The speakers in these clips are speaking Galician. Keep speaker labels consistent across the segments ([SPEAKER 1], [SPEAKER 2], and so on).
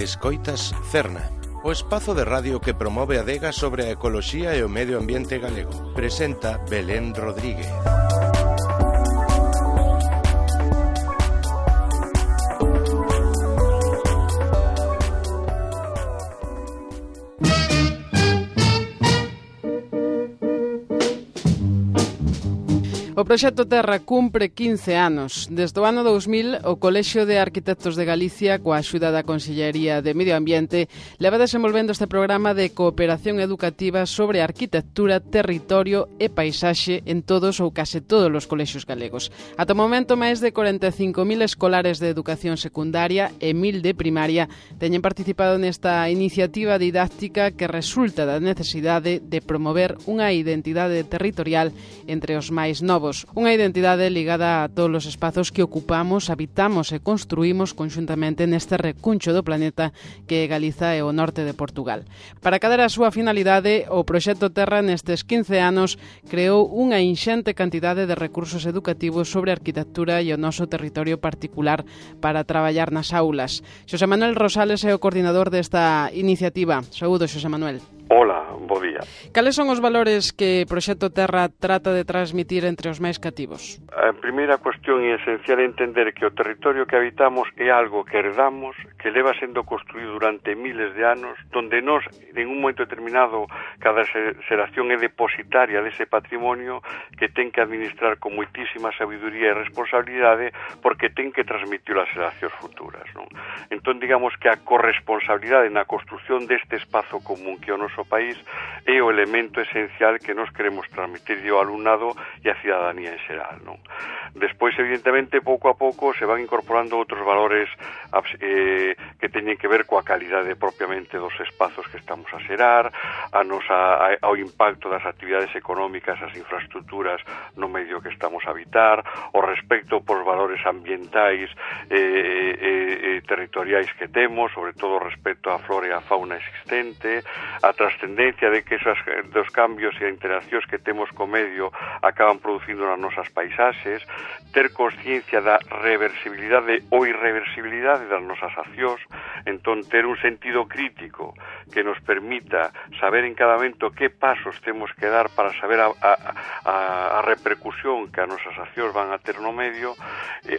[SPEAKER 1] Escoitas Cerna, o espazo de radio que promove a adega sobre a ecoloxía e o medio ambiente galego. Presenta Belén Rodríguez.
[SPEAKER 2] O proxecto Terra cumpre 15 anos. Desde o ano 2000, o Colexio de Arquitectos de Galicia, coa axuda da Consellería de Medio Ambiente, leva desenvolvendo este programa de cooperación educativa sobre arquitectura, territorio e paisaxe en todos ou case todos os colexios galegos. Ata o momento, máis de 45.000 escolares de educación secundaria e 1.000 de primaria teñen participado nesta iniciativa didáctica que resulta da necesidade de promover unha identidade territorial entre os máis novos. Unha identidade ligada a todos os espazos que ocupamos, habitamos e construímos conxuntamente neste recuncho do planeta que é Galiza e o norte de Portugal. Para cadar a súa finalidade, o proxecto Terra nestes 15 anos creou unha inxente cantidade de recursos educativos sobre arquitectura e o noso territorio particular para traballar nas aulas. Xosé Manuel Rosales é o coordinador desta iniciativa. Saúdo, Xosé Manuel.
[SPEAKER 3] Hola, bo día.
[SPEAKER 2] Cales son os valores que o Proxecto Terra trata de transmitir entre os máis cativos?
[SPEAKER 3] A primeira cuestión é esencial entender que o territorio que habitamos é algo que herdamos, que leva sendo construído durante miles de anos, donde nós, en un momento determinado, cada xeración é depositaria dese patrimonio que ten que administrar con moitísima sabiduría e responsabilidade porque ten que transmitir as xeracións futuras, non? Entón, digamos que a corresponsabilidade na construción deste espazo común que o noso país é o elemento esencial que nos queremos transmitir ao alumnado e á cidadanía en xeral, non? Despois, evidentemente, pouco a pouco se van incorporando outros valores que teñen que ver coa calidade propiamente dos espazos que estamos a xerar, ao impacto das actividades económicas, as infraestructuras no medio que estamos a habitar, o respecto por valores ambientais e territoriais que temos, sobre todo respecto á flora e á fauna existente, a trascendencia de que dos cambios e a interaccións que temos co medio acaban producindo nas nosas paisaxes, ter consciencia da reversibilidade ou irreversibilidade das nosas accións, entón ter un sentido crítico que nos permita saber en cada momento que pasos temos que dar para saber a repercusión que as nosas accións van a ter no medio,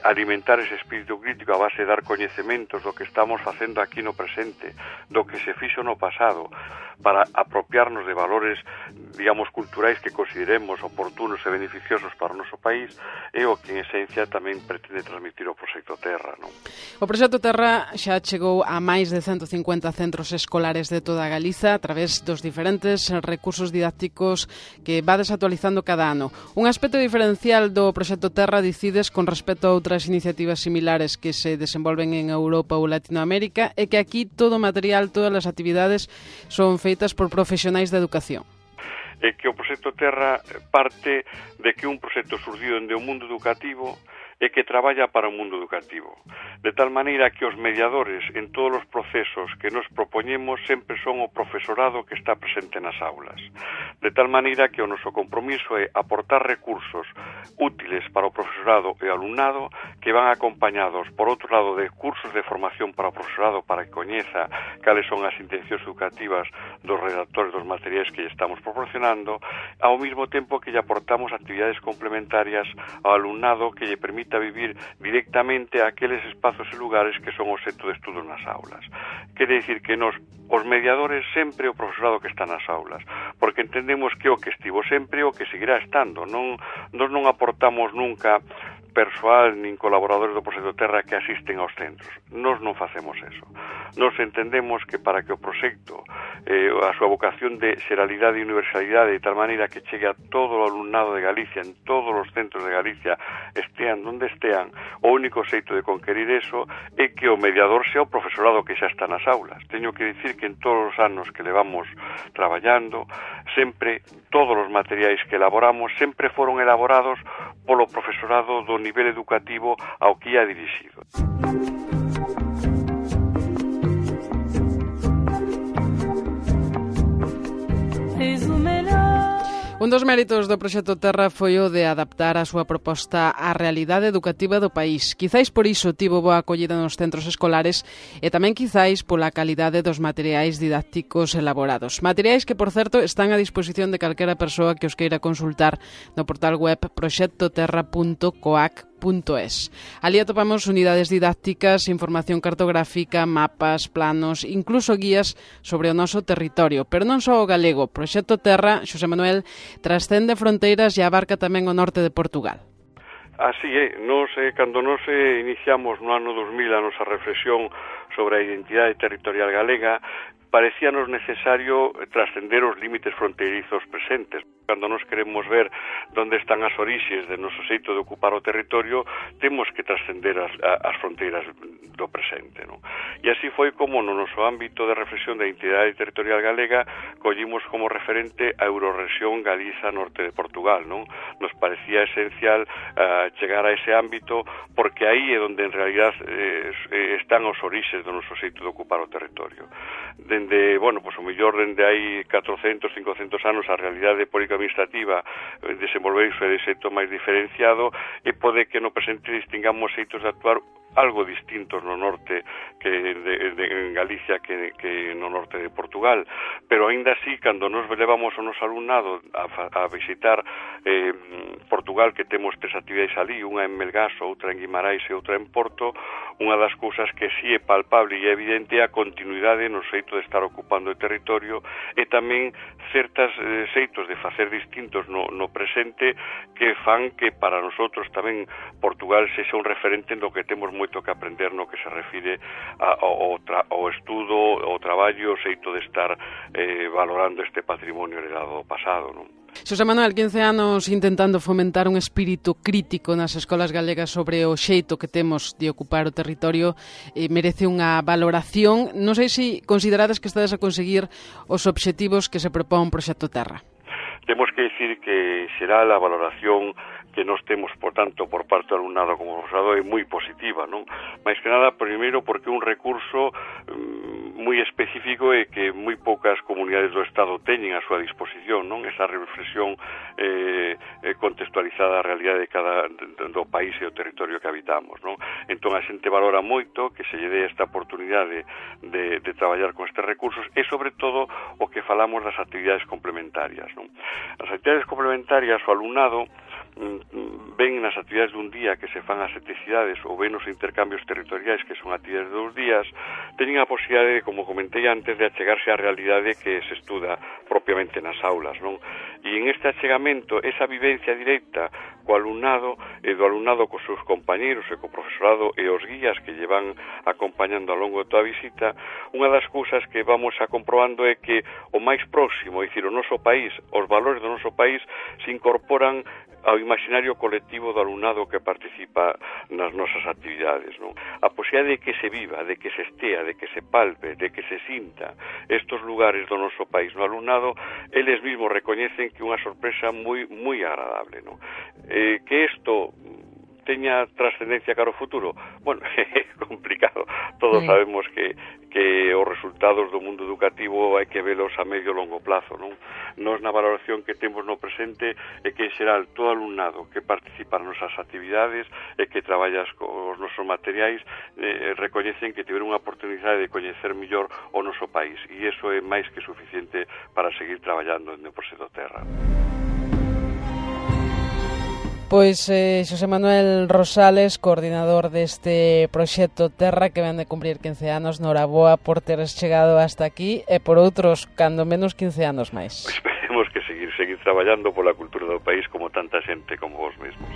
[SPEAKER 3] alimentar ese espírito crítico a base de dar coñecementos do que estamos facendo aquí no presente, do que se fixo no pasado, para apropiarnos de valores, digamos, culturais que consideremos oportunos e beneficiosos para o noso país, é o que en esencia tamén pretende transmitir o Proxecto Terra, non?
[SPEAKER 2] O Proxecto Terra xa chegou a máis de 150 centros escolares de toda Galiza a través dos diferentes recursos didácticos que vades actualizando cada ano. Un aspecto diferencial do Proxecto Terra, dicides, con respecto a outras iniciativas similares que se desenvolven en Europa ou Latinoamérica, é que aquí todo o material, todas as actividades son feitas por profesionais da educación.
[SPEAKER 3] É que o Proxecto Terra parte de que un proxecto surdido dende o mundo educativo e que traballa para o mundo educativo, de tal maneira que os mediadores en todos os procesos que nos propoñemos sempre son o profesorado que está presente nas aulas, de tal maneira que o noso compromiso é aportar recursos útiles para o profesorado e o alumnado que van acompañados, por outro lado, de cursos de formación para o profesorado para que coñeza cales son as intencións educativas dos redactores dos materiais que lle estamos proporcionando, ao mesmo tempo que lle aportamos actividades complementarias ao alumnado que lle permita vivir directamente aqueles espazos e lugares que son o centro de estudo nas aulas. Quere dicir que nos, os mediadores, sempre o profesorado que está nas aulas, porque entendemos que o que estivo sempre o que seguirá estando. Nos non aportamos nunca persoal nin colaboradores do Proxecto Terra que asisten aos centros. Nós non facemos eso. Nós entendemos que para que o proxecto, a súa vocación de xeralidade e universalidade, de tal maneira que chegue a todo o alumnado de Galicia, en todos os centros de Galicia, estean onde estean, o único xeito de conquerir eso é que o mediador sea o profesorado que xa está nas aulas. Teño que dicir que en todos os anos que levamos traballando, sempre todos os materiais que elaboramos sempre foron elaborados polo profesorado do nivel educativo ao que ia dirixido.
[SPEAKER 2] Un dos méritos do proxecto Terra foi o de adaptar a súa proposta á realidade educativa do país. Quizáis por iso tivo boa acollida nos centros escolares e tamén quizáis pola calidade dos materiais didácticos elaborados. Materiais que, por certo, están a disposición de calquera persoa que os queira consultar no portal web proxectoterra.coac.es. Ali atopamos unidades didácticas, información cartográfica, mapas, planos, incluso guías sobre o noso territorio. Pero non só o galego. Proxecto Terra, Xosé Manuel, trascende fronteiras e abarca tamén o norte de Portugal.
[SPEAKER 3] Así é, cando nos iniciamos no ano 2000 a nosa reflexión sobre a identidade territorial galega, parecíanos necesario trascender os límites fronteirizos presentes. Cando nos queremos ver onde están as orixes de noso xeito de ocupar o territorio, temos que trascender as fronteiras do presente, non? E así foi como no noso ámbito de reflexión da identidade territorial galega collimos como referente a Eurorrexión Galiza Norte de Portugal, non? Nos parecía esencial chegar a ese ámbito porque aí é onde en realidad están os orixes do noso xeito de ocupar o territorio. Dende, o mellor dende hai 400, 500 anos a realidade política administrativa desenvolveuse de xeito máis diferenciado e pode que no presente distingamos xeitos de actuar algo distintos no norte que en Galicia que no norte de Portugal, pero aínda así, cando nos levamos o noso alumnado a visitar Portugal, que temos 3 actividades ali, unha en Melgaso, outra en Guimarães e outra en Porto, unha das cousas que sí é palpable e evidente é a continuidade no xeito de estar ocupando o territorio e tamén certas xeitos de facer distintos no presente que fan que para nosotros tamén Portugal sexa un referente no que temos moito que aprender no que se refire ao estudo, ao traballo, o xeito de estar valorando este patrimonio heredado do pasado, non?
[SPEAKER 2] Xosé Manuel, 15 anos intentando fomentar un espírito crítico nas escolas galegas sobre o xeito que temos de ocupar o territorio, merece unha valoración. Non sei se considerades que estades a conseguir os obxectivos que se propón Proxecto Terra.
[SPEAKER 3] Temos que dicir que será a valoración que nos temos, por tanto, por parte do alumnado como profesorado é moi positiva, non? Mais que nada, primeiro, porque é un recurso moi específico e que moi poucas comunidades do Estado teñen a súa disposición, non? Esa reflexión contextualizada a realidade do país e o territorio que habitamos, non? Entón, a xente valora moito que se lle dé esta oportunidade de traballar con estes recursos e, sobre todo, o que falamos das actividades complementarias, non? As actividades complementarias, o alumnado ven nas actividades dun día que se fan as 7 cidades ou ven os intercambios territoriais que son actividades de 2 días, teñen a posibilidade, como comentei antes, de achegarse á realidade que se estuda propiamente nas aulas, non? E en este achegamento, esa vivencia directa co alumnado e do alumnado cos seus compañeros e co profesorado e os guías que lle van acompañando ao longo de toda a visita, unha das cousas que vamos a comprobando é que o máis próximo, é dicir, o noso país, os valores do noso país se incorporan ao imaginario colectivo do alumnado que participa nas nosas actividades, non? A posibilidade de que se viva, de que se estea, de que se palpe, de que se sinta estos lugares do noso país no alumnado, eles mismos recoñecen que é unha sorpresa moi agradable, non? Que isto teña trascendencia cara ao futuro? Bueno, é complicado. Todos sabemos que os resultados do mundo educativo hai que velos a medio e longo plazo, non? Nos na valoración que temos no presente é que, en xeral, todo alumnado que participa nas nosas actividades e que traballas cos nosos materiais recoñecen que tiveron unha oportunidade de coñecer mellor o noso país e iso é máis que suficiente para seguir traballando no Proxecto Terra.
[SPEAKER 2] Pois Xosé Manuel Rosales, coordinador deste Proxecto Terra que ven de cumprir 15 anos, noraboa por teres chegado hasta aquí e por outros, cando menos 15 anos máis.
[SPEAKER 3] Esperemos que seguir traballando pola cultura do país como tanta xente como vos mesmos.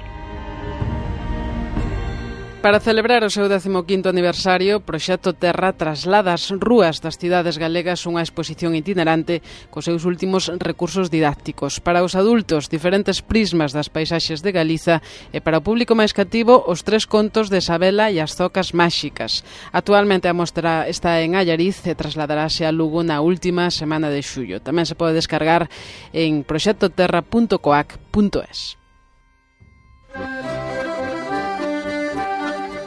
[SPEAKER 2] Para celebrar o seu 15º aniversario, Proxecto Terra traslada ás rúas das cidades galegas unha exposición itinerante cos seus últimos recursos didácticos. Para os adultos, diferentes prismas das paisaxes de Galiza e para o público máis cativo, os 3 contos de Sabela e as zocas máxicas. Actualmente a mostra está en Allariz e trasladarase a Lugo na última semana de xullo. Tamén se pode descargar en proxectoterra.coac.es.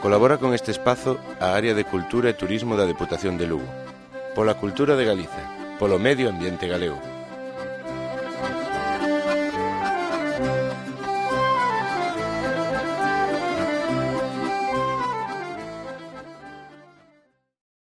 [SPEAKER 1] Colabora con este espazo a Área de Cultura e Turismo da Deputación de Lugo. Pola cultura de Galiza, polo medio ambiente galego.